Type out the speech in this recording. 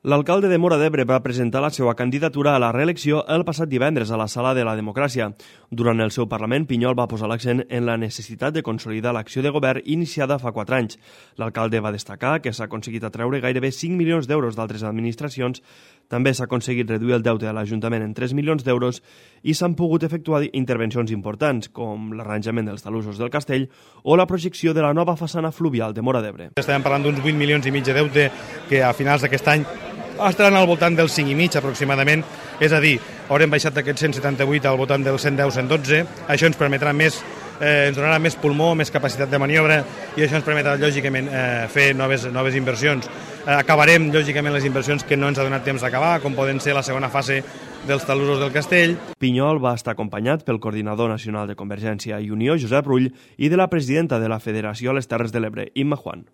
L'alcalde de Móra d'Ebre va presentar la seva candidatura a la reelecció el passat divendres a la Sala de la Democràcia. Durant el seu Parlament, Pinyol va posar l'accent en la necessitat de consolidar l'acció de govern iniciada fa 4 anys. L'alcalde va destacar que s'ha aconseguit atreure gairebé 5 milions d'euros d'altres administracions, també s'ha aconseguit reduir el deute de l'Ajuntament en 3 milions d'euros i s'han pogut efectuar intervencions importants, com l'arranjament dels talussos del castell o la projecció de la nova façana fluvial de Móra d'Ebre. Estem parlant d'uns 8 milions i mig de deute que a finals d'aquest any estaran al voltant del 5,5 aproximadament, és a dir, haurem baixat d'aquests 178 al voltant dels 110-112, això ens permetrà més, ens donarà més pulmó, més capacitat de maniobra i això ens permetrà, lògicament, fer noves inversions. Acabarem, lògicament, les inversions que no ens ha donat temps d'acabar, com poden ser la segona fase dels talussos del castell. Pinyol va estar acompanyat pel coordinador nacional de Convergència i Unió, Josep Rull, i de la presidenta de la Federació a les Terres de l'Ebre, Imma Juan.